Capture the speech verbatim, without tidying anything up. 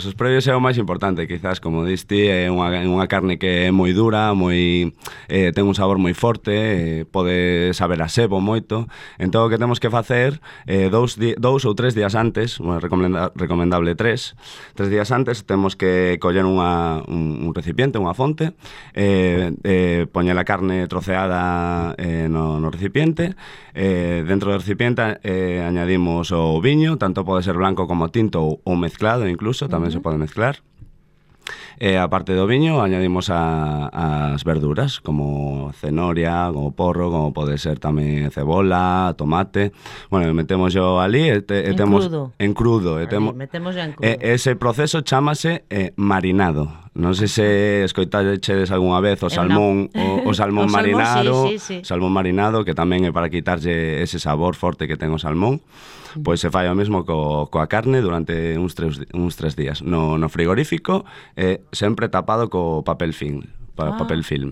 Os previos é o máis importante, quizás, como diste, é unha, unha carne que é moi dura, moi eh, ten un sabor moi forte, eh, pode saber a sebo moito. Entón, o que temos que facer eh, dous, di, dous ou tres días antes, bueno, recomenda, recomendable tres, tres días antes, temos que coller unha, un, un recipiente, unha fonte, eh, eh, poñer a carne troceada eh, no, no recipiente, eh, dentro do recipiente eh, añadimos o viño, tanto pode ser blanco como tinto ou, ou mezclado incluso, tamén se pode mezclar. E a parte do viño añadimos a, as verduras como cenoria, como porro, como pode ser tamén cebola, tomate. Bueno, metemos yo ali e, te, e En temos crudo. en crudo, e Ali, temo, metemos en crudo. e, ese proceso chámase eh, marinado. Non sei se escoitachedes algunha vez o Eu salmón, o, o salmón O salmón, marinado, sí, sí, sí. salmón marinado, que tamén é para quitarlle ese sabor forte que ten o salmón. Pois se fai o mesmo co, coa carne durante uns tres, uns tres días no, no frigorífico, eh, sempre tapado co papel film, pa, Ah. papel film.